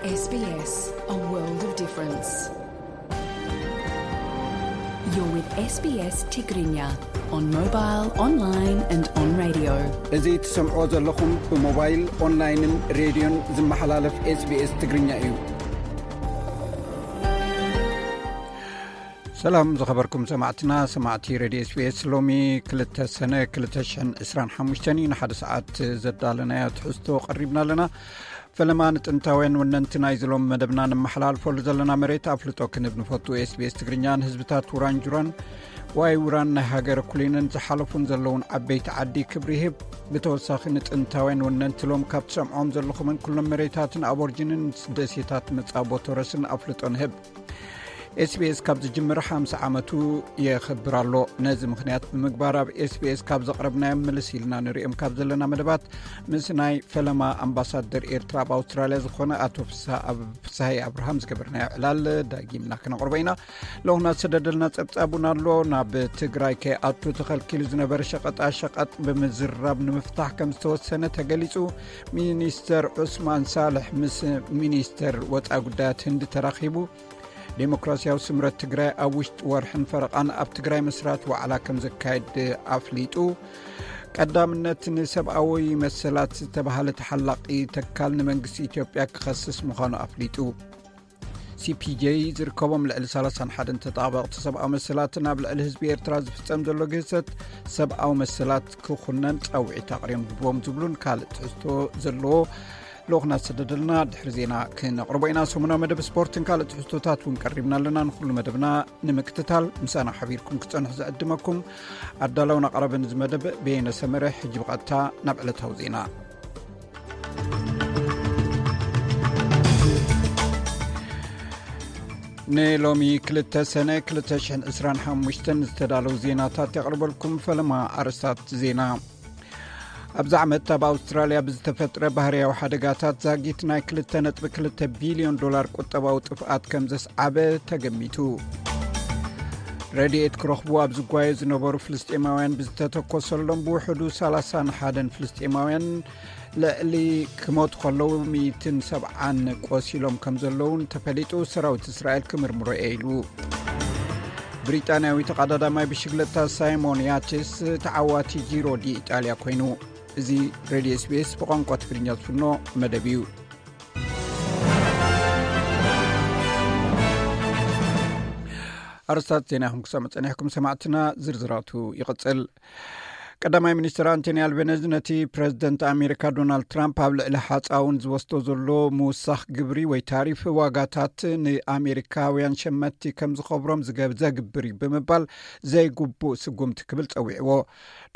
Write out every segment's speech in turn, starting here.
S B S, a world of difference. You're with S B S Tigrinya on mobile, online and on radio. እዚ ትሰምዖ ዘለኹም ብሞባይል፣ ኦንላይንን ሬድዮን ዝመሓላለፍ S B S ትግርኛ እዩ። ሰላም ዝኸበርኩም ሰማዕትና፣ ሰማዕቲ ሬድዮ S B S፣ ሎሚ ክልተ ሰነ ክልተ ሽሕን ዕስራን ሓሙሽተን እዩ። ንሓደ ሰዓት ዘዳለናዮ ትሕዝቶ ቀሪብና ኣለና። ፈለማ ንጥንታውያን ወነንቲ ናይዚ ሎም መደብና ነመሓላልፈሉ ዘለና መሬት ኣፍልጦ ክንብ ንፈቱ። S B S ትግርኛ ንህዝብታት ውራን ጁራን ዋይ ውራን ናይ ሃገር ኩሊንን ዝሓለፉን ዘለውን ዓበይቲ ዓዲ ክብሪ ይህብ። ብተወሳኺ ንጥንታውያን ወነንቲ ሎም ካብ ትሰምዖም ዘለኹምን ኩሎም መሬታትን ኣቦርጅንን ደሴታት መጻቦ ቶረስን ኣፍልጦ ንህብ። S B S ካብ ዝጅምር ሓምሳ ዓመቱ የኽብር ኣሎ። ነዚ ምኽንያት ብምግባር ኣብ S B S ካብ ዘቕረብናዮም ምልስ ኢልና ንሪኦም ካብ ዘለና መደባት ምስ ናይ ፈለማ ኣምባሳደር ኤርትራ ኣብ ኣውስትራልያ ዝኾነ ኣቶ ፍስሃ ኣብ-፣ ፍስሃይ ኣብርሃም ዝገበርናዮ ዕላል ዳጊምና ክነቕርቦ ኢና። ለኹና ዝሰደደልና ጸብጻብ እውን ኣሎ። ናብ ትግራይ ከይኣቱ ተኸልኪሉ ዝነበረ ሸቐጣ ሸቐጥ ብምዝራብ ንምፍታሕ ከም ዝተወሰነ ተገሊጹ። ሚኒስተር ዑስማን ሳልሕ ምስ ሚኒስተር ወጻኢ ጉዳያት ህንዲ ተራኺቡ። ዴሞክራሲያዊ ስምረት ትግራይ ኣብ ውሽጢ ወርሕን ፈረቓን ኣብ ትግራይ መስራት ዋዕላ ከም ዘካየድ ኣፍሊጡ። ቀዳምነት ንሰብኣዊ መሰላት ዝተባሃለ ተሓላቒ ተካል ንመንግስቲ ኢትዮጵያ ክኸስስ ምዃኑ ኣፍሊጡ። C P J ዝርከቦም ልዕሊ ሰላሳን ሓደን ተጣበቕቲ ሰብኣዊ መሰላትን ኣብ ልዕሊ ህዝቢ ኤርትራ ዝፍጸም ዘሎ ግህሰት ሰብኣዊ መሰላት ክኹነን ጻውዒት ኣቕሪቦም ዝብሉን ካልእ ትሕዝቶ ዘለዎ ልኡኽና ዝሰደደልና ድሕሪ ዜና ክነቕርቦ ኢና። ሰሙናዊ መደብ ስፖርትን ካልእ ትሕዝቶታት እውን ቀሪብና ኣለና። ንኹሉ መደብና ንምክትታል ምሳና ሓቢርኩም ክጸንሑ ዝዕድመኩም ኣዳላውን ኣቕራብን እዚ መደብ በየነ ሰመረ። ሕጂ ብቐጥታ ናብ ዕለታዊ ዜና። ንሎሚ ክልተ ሰነ ክልተ ሽሕን ዕስራን ሓሙሽተን ዝተዳለዉ ዜናታት የቕርበልኩም። ፈለማ ኣርእስታት ዜና። ኣብዚ ዓመት ኣብ ኣውስትራልያ ብዝተፈጥረ ባህርያዊ ሓደጋታት ዛጊት ናይ ክልተ ነጥቢ ክልተ ቢልዮን ዶላር ቁጠባዊ ጥፍኣት ከም ዘስዓበ ተገሚቱ። ረድኤት ክረኽቡ ኣብ ዝጓየ ዝነበሩ ፍልስጤማውያን ብዝተተኮሰሎም ብውሕዱ ሰላሳን ሓደን ፍልስጤማውያን ልዕሊ ክሞቱ ከለዉ ሚእትን ሰብዓን ቆሲሎም ከም ዘለውን ተፈሊጡ። ሰራዊት እስራኤል ክምርምሮ እየ ኢሉ። ብሪጣንያዊ ተቐዳዳማይ ብሽግለታ ሳይሞን ያችስ ተዓዋቲ ጂሮ ዲ ኢጣልያ ኮይኑ። እዚ ሬድዮ S B S ብቋንቋ ትግርኛ ዝፍኖ መደብ እዩ። ኣርስታት ዜና ኢኹም ክሰምዑ ጸኒሕኩም ሰማዕትና። ዝርዝራቱ ይቕጽል። ቀዳማይ ሚኒስትር ኣንቶኒ ኣልቤነዝ ነቲ ፕረዚደንት ኣሜሪካ ዶናልድ ትራምፕ ኣብ ልዕሊ ሓጻውን ዝወስዶ ዘሎ ምውሳኽ ግብሪ ወይ ታሪፍ ዋጋታት ንኣሜሪካውያን ሸመትቲ ከም ዝኸብሮም ዝገ-፣ ዘግብር እዩ ብምባል ዘይግቡእ ስጉምቲ ክብል ጸዊዕዎ።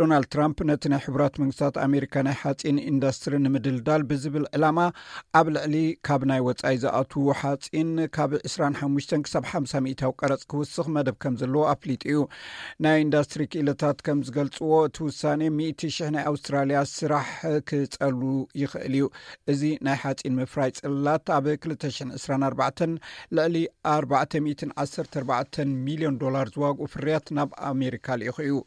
ዶናልድ ትራምፕ ነቲ ናይ ሕቡራት መንግስታት ኣሜሪካ ናይ ሓጺን ኢንዱስትሪ ንምድልዳል ብዝብል ዕላማ ኣብ ልዕሊ ካብ ናይ ወጻኢ ዝኣትዉ ሓጺን ካብ ዕስራን ሓሙሽተን ክሳብ ሓምሳ ሚእታዊ ቀረጽ ክውስኽ መደብ ከም ዘለዎ ኣፍሊጡ እዩ። ናይ ኢንዱስትሪ ክኢላታት ከም ዝገልጽዎ፣ እቲ ውሳኔ ሚእቲ ሽሕ ናይ ኣውስትራልያ ስራሕ ክጸሉ ይኽእል እዩ። እዚ ናይ ሓጺን ምፍራይ ጽላት ኣብ ክልተ ሽሕን ዕስራን ኣርባዕተን ልዕሊ ኣርባዕተ ሚእትን ዓሰርተ ኣርባዕተን ሚልዮን ዶላር ዝዋግኡ ፍርያት ናብ ኣሜሪካ ልኢኹ እዩ።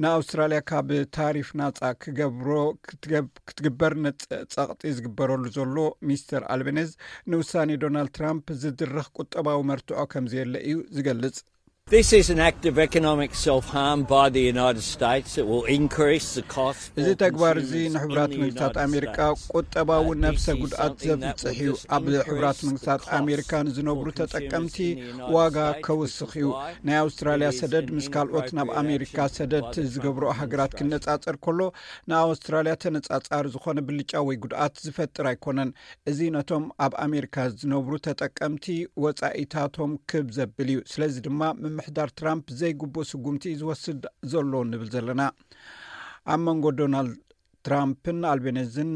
ንኣውስትራልያ ካብ ታሪፍ ናጻ ክገብሮ ክትገብ-፣ ክትግበር ነጸ-፣ ጸቕጢ ዝግበረሉ ዘሎ ሚስተር ኣልቤኔዝ፣ ንውሳኔ ዶናልድ ትራምፕ ዝድርኽ ቁጠባዊ መርትዖ ከም ዘየለ እዩ ዝገልጽ። This is an act of economic self-harm by the United States. It will increase the cost እዚ for ተግባር እዚ consumers ንሕቡራት in the መንግስታት United ኣሜሪካ States. ቁጠባዊ Uh, ነፍሰ this is ጉድኣት something that ዘብጽሕ will እዩ። just ኣብ ሕቡራት increase the መንግስታት cost ኣሜሪካ ንዝነብሩ for consumers ተጠቀምቲ in the United ዋጋ States, ከውስኽ which is እዩ። why ናይ ኣውስትራልያ there is ሰደድ an ምስ ካልኦት ናብ inappropriate ኣሜሪካ action ሰደድ by the ዝገብርኦ Trump ሃገራት administration. ክነጻጸር ከሎ፣ ንኣውስትራልያ ተነጻጻሪ ዝኾነ ብልጫ ወይ ጉድኣት ዝፈጥር ኣይኮነን። እዚ ነቶም ኣብ ኣሜሪካ ዝነብሩ ተጠቀምቲ ወጻኢታቶም ክብ ዘብል እዩ። ስለዚ ድማ ምምሕዳር ትራምፕ ዘይግቡእ ስጉምቲ እዩ ዝወስድ ዘሎ ንብል ዘለና። ኣብ መንጎ ዶናልድ ትራምፕን ኣልቤኔዝን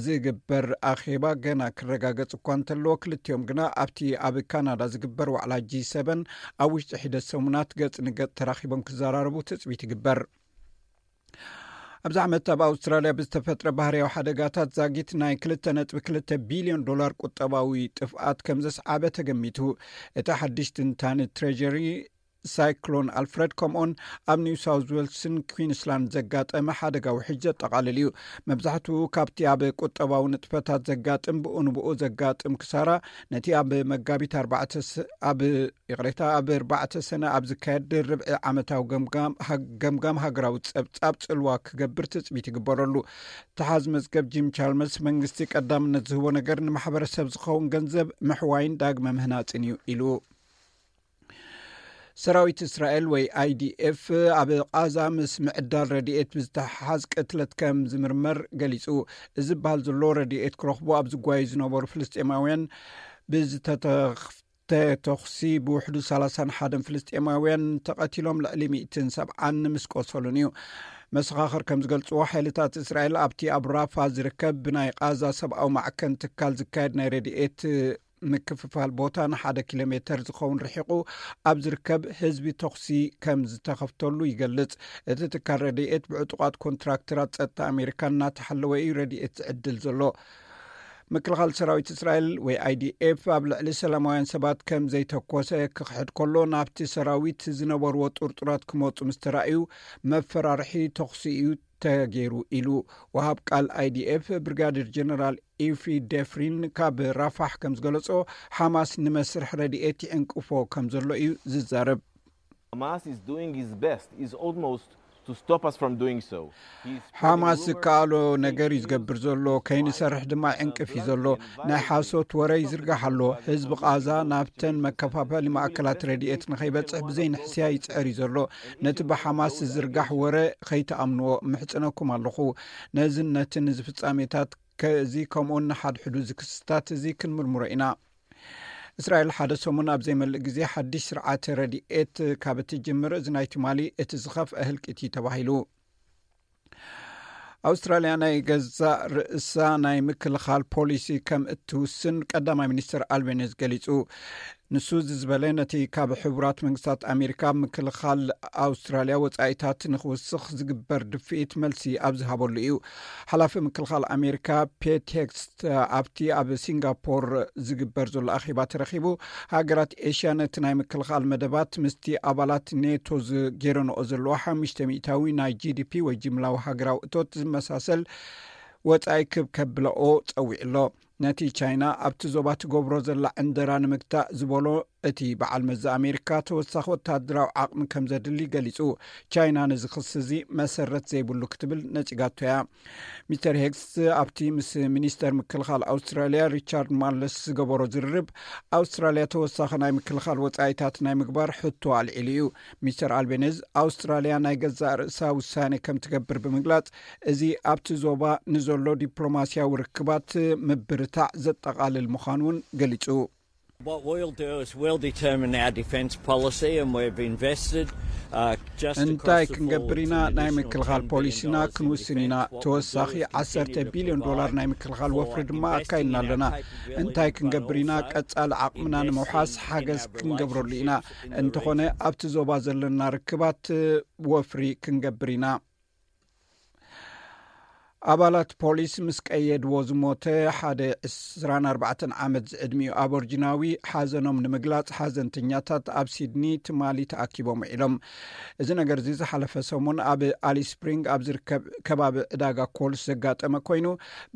ዝግበር ኣኼባ ገና ክረጋገጽ እኳ እንተለዎ፣ ክልቲኦም ግና ኣብቲ ኣብ ካናዳ ዝግበር ዋዕላ ጂ ሰበን ኣብ ውሽጢ ሒደት ሰሙናት ገጽ ንገጽ ተራኺቦም ክዘራረቡ ትጽቢት ይግበር። ኣብዚ ዓመት ኣብ ኣውስትራልያ ብዝተፈጥረ ባህርያዊ ሓደጋታት ዛጊት ናይ ክልተ ነጥቢ ክልተ ቢልዮን ዶላር ቁጠባዊ ጥፍኣት ከም ዘስዓበ ተገሚቱ። እቲ ሓድሽ ትንታነ ትሬጀሪ ሳይክሎን ኣልፍረድ፣ ከምኡን ኣብ ኒው ሳውዝ ዌልስን ኩዊንስላንድ ዘጋጠመ ሓደጋ ውሕጅ ዘጠቓልል እዩ። መብዛሕትኡ ካብቲ ኣብ ቁጠባዊ ንጥፈታት ዘጋጥም፣ ብኡ ንብኡ ዘጋጥም ክሳራ፣ ነቲ ኣብ መጋቢት ኣርባዕተ ስ- ኣብ ይቕሬታ፣ ኣብ ኣርባዕተ ሰነ ኣብ ዝካየድ ርብዒ ዓመታዊ ገምጋም ሃ- ገምጋም ሃገራዊ ጸብጻብ ጽልዋ ክገብር ትጽቢት ይግበረሉ። ተሓዝ መዝገብ ጂም ቻልመርስ፣ መንግስቲ ቀዳምነት ዝህቦ ነገር ንማሕበረሰብ ዝኸውን ገንዘብ ምሕዋይን ዳግመ ምህናጽን እዩ ኢሉ። ሰራዊት እስራኤል ወይ ኣይዲኤፍ ኣብ ቃዛ ምስ ምዕዳል ረድኤት ብዝተሓሓዝ ቅትለት ከም ዝምርመር ገሊጹ። እዚ ዝበሃል ዘሎ፣ ረድኤት ክረኽቡ ኣብ ዝጓዩ ዝነበሩ ፍልስጤማውያን ብዝተተኽፍተ ተኹሲ ብውሕዱ ሰላሳን ሓደን ፍልስጤማውያን ተቐቲሎም፣ ልዕሊ ሚእትን ሰብዓን ምስ ቆሰሉን እዩ። መሰኻኽር ከም ዝገልጽዎ፣ ሓይልታት እስራኤል ኣብቲ ኣብ ራፋ ዝርከብ ብናይ ቃዛ ሰብኣዊ ማዕከን ትካል ዝካየድ ናይ ረድኤት ምክፍፋል ቦታ ንሓደ ኪሎ ሜተር ዝኸውን ርሒቑ ኣብ ዝርከብ ህዝቢ ተኹሲ ከም ዝተኸፍተሉ ይገልጽ። እቲ ትካል ረድኤት ብዕጡቓት ኮንትራክተራት ጸጥታ ኣሜሪካ እናተሓለወ እዩ ረድኤት ዝዕድል ዘሎ። ምክልኻል ሰራዊት እስራኤል ወይ ኣይዲኤፍ ኣብ ልዕሊ ሰላማውያን ሰባት ከም ዘይተኮሰ ክኽሕድ ከሎ፣ ናብቲ ሰራዊት ዝነበርዎ ጥርጡራት ክመጹ ምስ ተራእዩ መፈራርሒ ተኹሲ እዩ ተገይሩ ኢሉ። ወሃብ ቃል ኣይዲኤፍ ብሪጋዴር ጀነራል ኢፍሪ ደፍሪን ካብ ራፋሕ ከም ዝገለጾ፣ ሓማስ ንመስርሕ ረድኤት ይዕንቅፎ ከም ዘሎ እዩ ዝዛረብ። Hamas is doing his best, is almost to stop us from doing so. He's spreading ሓማስ rumors, ዝከኣሎ fake ነገር እዩ news, ዝገብር ዘሎ፣ ከይንሰርሕ ድማ ይዕንቅፍ እዩ ዘሎ። ናይ ሓሶት ወረ ይዝርጋሕ ኣሎ። ህዝቢ ቃዛ ናብተን መከፋፈሊ ማእከላት ረድኤት ንኸይበጽሕ ብዘይንሕስያ ይጽዕር እዩ ዘሎ። ነቲ ብሓማስ ዝዝርጋሕ ወረ ከይትኣምንዎ ምሕጽነኩም ኣለኹ። ነዝን ነትን እዚ ፍጻሜታት ከዚ ከምኡን ንሓድሕዱ እዚ ክስታት እዚ ክንምርምሮ ኢና። እስራኤል ሓደ ሰሙን ኣብ ዘይመልእ ግዜ ሓድሽ ስርዓተ ረድኤት ካብ እትጅምር፣ እዚ ናይ ትማሊ እቲ ዝኸፍአ ህልቂት እዩ ተባሂሉ። ኣውስትራልያ ናይ ገዛእ ርእሳ ናይ ምክልኻል ፖሊሲ ከም እትውስን ቀዳማይ ሚኒስትር ኣልቤኒዝ ገሊጹ። ንሱ እዚ ዝበለ፣ ነቲ ካብ ሕቡራት መንግስታት ኣሜሪካ ኣብ ምክልኻል ኣውስትራልያ ወጻኢታት ንኽውስኽ ዝግበር ድፍኢት መልሲ ኣብ ዝሃበሉ እዩ። ሓላፊ ምክልኻል ኣሜሪካ ፔት ሄግስት ኣብቲ ኣብ ሲንጋፖር ዝግበር ዘሎ ኣኼባ ተረኺቡ፣ ሃገራት ኤሽያ ነቲ ናይ ምክልኻል መደባት ምስቲ ኣባላት ኔቶ ዝጌረንኦ ዘለዋ ሓሙሽተ ሚእታዊ ናይ ጂ ዲ ፒ ወይ ጅምላዊ ሃገራዊ እቶት ዝመሳሰል ወጻኢ ክብ ከብለኦ ጸዊዑ ኣሎ። ነቲ ቻይና ኣብቲ ዞባ ትገብሮ ዘላ ዕንደራ ንምግታእ ዝበሎ እቲ በዓል መዚ ኣሜሪካ፣ ተወሳኺ ወታደራዊ ዓቕሚ ከም ዘድሊ ገሊጹ። ቻይና ነዚ ክሲ እዚ መሰረት ዘይብሉ ክትብል ነጺጋቶ እያ። ሚስተር ሄግስ ኣብቲ ምስ ሚኒስተር ምክልኻል ኣውስትራልያ ሪቻርድ ማርለስ ዝገበሮ ዝርርብ፣ ኣውስትራልያ ተወሳኺ ናይ ምክልኻል ወጻኢታት ናይ ምግባር ሕቶ ኣልዒሉ እዩ። ሚስተር ኣልቤኒዝ፣ ኣውስትራልያ ናይ ገዛእ ርእሳ ውሳኔ ከም ትገብር ብምግላጽ፣ እዚ ኣብቲ ዞባ ንዘሎ ዲፕሎማስያዊ ርክባት ምብርታዕ ዘጠቓልል ምዃኑ እውን ገሊጹ። What we'll do is we'll determine our defence policy and we've invested uh, just እንታይ across the ክንገብር forwards ኢና? an ናይ additional ምክልኻል ten billion ፖሊሲና dollars in ክንውስን ኢና። defence. What we'll ተወሳኺ do is ዓሰርተ continue to ቢልዮን ዶላር provide ናይ ምክልኻል for ወፍሪ ድማ investing ኣካይድና in our ኣለና። capability, እንታይ but ክንገብር ኢና? also ቀጻሊ ዓቕምና ንምውሓስ investing in ሓገዝ our ክንገብረሉ ኢና። relationships in the እንተኾነ region. ኣብቲ ዞባ ዘለና ርክባት ወፍሪ ክንገብር ኢና። ኣባላት ፖሊስ ምስ ቀየድዎ ዝሞተ ሓደ ዕስራን ኣርባዕተን ዓመት ዝዕድሚኡ ኣቦርጂናዊ ሓዘኖም ንምግላጽ፣ ሓዘንተኛታት ኣብ ሲድኒ ትማሊ ተኣኪቦም ውዒሎም። እዚ ነገር እዚ ዝሓለፈ ሰሙን ኣብ ኣሊስ ስፕሪንግ ኣብ ዝርከብ ከባቢ ዕዳጋ ኮልስ ዘጋጠመ ኮይኑ፣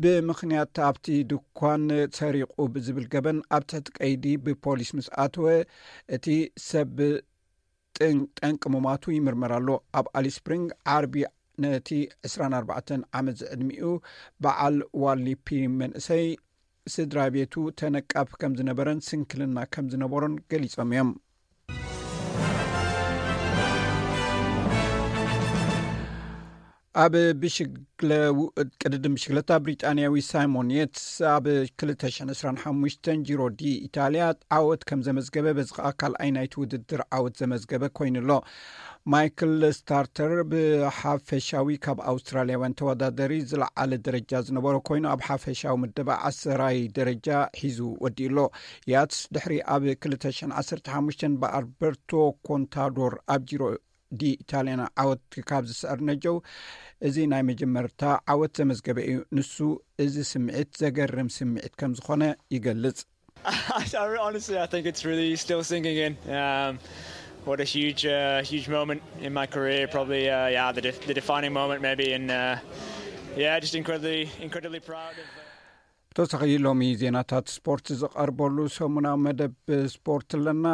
ብምኽንያት ኣብቲ ድኳን ሰሪቑ ብዝብል ገበን ኣብ ትሕቲ ቀይዲ ብፖሊስ ምስ ኣተወ፣ እቲ ሰብ ጥን- ጠንቂ ምማቱ ይምርመር ኣሎ። ኣብ ኣሊስ ስፕሪንግ ዓርቢ ነቲ ዕስራን ኣርባዕተን ዓመት ዝዕድሚኡ በዓል ዋሊፒ መንእሰይ፣ ስድራ ቤቱ ተነቃፊ ከም ዝነበረን ስንክልና ከም ዝነበሮን ገሊጾም እዮም። ኣብ ብሽግለ- ቅድድም ብሽግለታ፣ ብሪጣንያዊ ሳይሞን የትስ ኣብ ክልተ ሽሕን ዕስራን ሓሙሽተን ጂሮ ዲ ኢታልያ ዓወት ከም ዘመዝገበ፣ በዚ ኸኣ ካልኣይ ናይቲ ውድድር ዓወት ዘመዝገበ ኮይኑ ኣሎ። ማይክል ስታርተር ብሓፈሻዊ ካብ ኣውስትራልያውያን ተወዳደሪ ዝለዓለ ደረጃ ዝነበሮ ኮይኑ፣ ኣብ ሓፈሻዊ ምደባ ዓሰራይ ደረጃ ሒዙ ወዲኡ ኣሎ። ያትስ ድሕሪ ኣብ ክልተ ሽሕን ዓሰርተ ሓሙሽተን ብኣልበርቶ ኮንታዶር ኣብ ጂሮ ዲ ኢታልያና ዓወት ካብ ዝስዕር ነጀው፣ እዚ ናይ መጀመርታ ዓወት ዘመዝገበ እዩ። ንሱ እዚ ስምዒት ዘገርም ስምዒት ከም ዝኾነ ይገልጽ። I, I, honestly, I think it's really still sinking in. Um, What a huge, uh, huge moment in my career. Probably, uh, yeah, the, def- the defining moment, maybe. And uh, yeah, just incredibly, incredibly proud of. Uh... ተወሳኺ ሎሚ ዜናታት ስፖርት ዝቐርበሉ ሰሙናዊ መደብ ስፖርት ኣለና።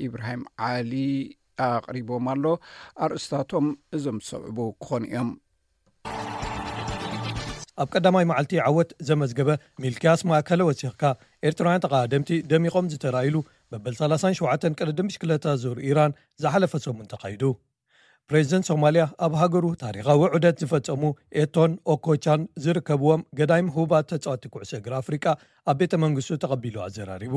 ኢብራሂም ዓሊ ኣቕሪቦም ኣሎ። ኣርእስታቶም እዞም ዝሰዕቡ ክኾኑ እዮም። ኣብ ቀዳማይ መዓልቲ ዓወት ዘመዝገበ ሚልክያስ ማእከለ ወሲኽካ፣ ኤርትራውያን ተቓደምቲ ደሚቖም ዝተራእይሉ መበል ሰላሳን ሸውዓተን ቅድድም ብሽክለታ ዙር ኢራን ዝሓለፈ ሰሙን ተኻይዱ። ፕሬዚደንት ሶማልያ ኣብ ሃገሩ ታሪኻዊ ዑደት ዝፈጸሙ ኤቶን ኦኮቻን ዝርከብዎም ገዳይም ህቡባት ተጻወቲ ኩዕሶ እግሪ ኣፍሪቃ ኣብ ቤተ መንግስቱ ተቐቢሉ ኣዘራሪቡ።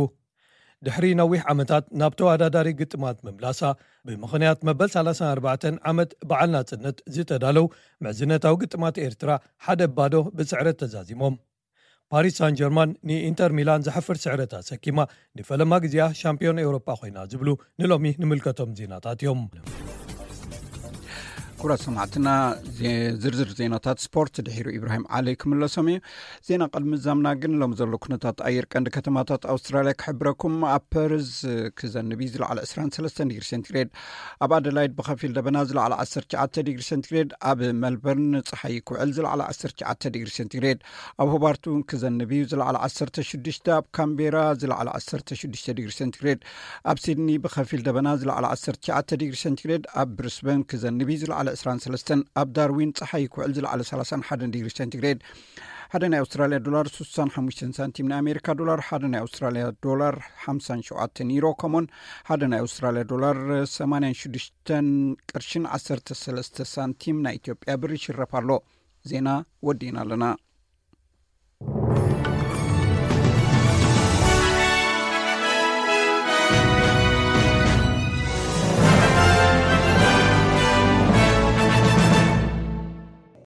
ድሕሪ ነዊሕ ዓመታት ናብ ተወዳዳሪ ግጥማት ምምላሳ፣ ብምኽንያት መበል ሰላሳን ኣርባዕተን ዓመት በዓል ናጽነት ዝተዳለው ምዕዝነታዊ ግጥማት ኤርትራ ሓደ ባዶ ብስዕረት ተዛዚሞም። ፓሪስ ሳን ጀርማን ንኢንተር ሚላን ዘሕፍር ስዕረት ኣሰኪማ፣ ንፈለማ ግዜኣ ሻምፒዮን ኤውሮጳ ኮይና ዝብሉ ንሎሚ ንምልከቶም ዜናታት እዮም። ኩብራት ሰማዕትና፣ ዜ- ዝርዝር ዜናታት ስፖርት ድሒሩ ኢብራሂም ዓሊ ክምለሶም እዩ። ዜና ቅድሚ ዛምና ግን፣ ሎም ዘሎ ኩነታት ኣየር ቀንዲ ከተማታት ኣውስትራልያ ክሕብረኩም። ኣብ ፐርዝ ክዘንብ እዩ፣ ዝለዓለ ዕስራን ሰለስተን ዲግሪ ሴንቲግሬድ። ኣብ ኣደላይድ ብኸፊል ደበና፣ ዝለዓለ ዓሰርተ ትሽዓተ ዲግሪ ሴንቲግሬድ። ኣብ መልበርን ጸሓይ ክውዕል፣ ዝለዓለ ዓሰርተ ትሽዓተ ዲግሪ ሴንቲግሬድ። ኣብ ሆባርት እውን ክዘንብ እዩ፣ ዝለዓለ ዓሰርተ ሽዱሽተ። ኣብ ካምቤራ ዝለዓለ ዓሰርተ ሽዱሽተ ዲግሪ ሴንቲግሬድ። ኣብ ሲድኒ ብኸፊል ደበና፣ ዝለዓለ ዓሰርተ ትሽዓተ ዲግሪ ሴንቲግሬድ። ኣብ ብሪስበን ክዘንብ እዩ፣ ዝለዓለ ዕስራን ሰለስተን። ኣብ ዳርዊን ጸሓይ ክውዕል፣ ዝለዓለ ሰላሳን ሓደን ዲግሪ ሴንቲግሬድ። ሓደ ናይ ኣውስትራልያ ዶላር ስሳን ሓሙሽተን ሳንቲም፣ ናይ ኣሜሪካ ዶላር ሓደ ናይ ኣውስትራልያ ዶላር ሓምሳን ሸውዓተን ዩሮ፣ ከምኡን ሓደ ናይ ኣውስትራልያ ዶላር ሰማንያን ሽዱሽተን ቅርሽን ዓሰርተ ሰለስተ ሳንቲም ናይ ኢትዮጵያ ብር ይሽረፍ ኣሎ። ዜና ወዲእና ኣለና።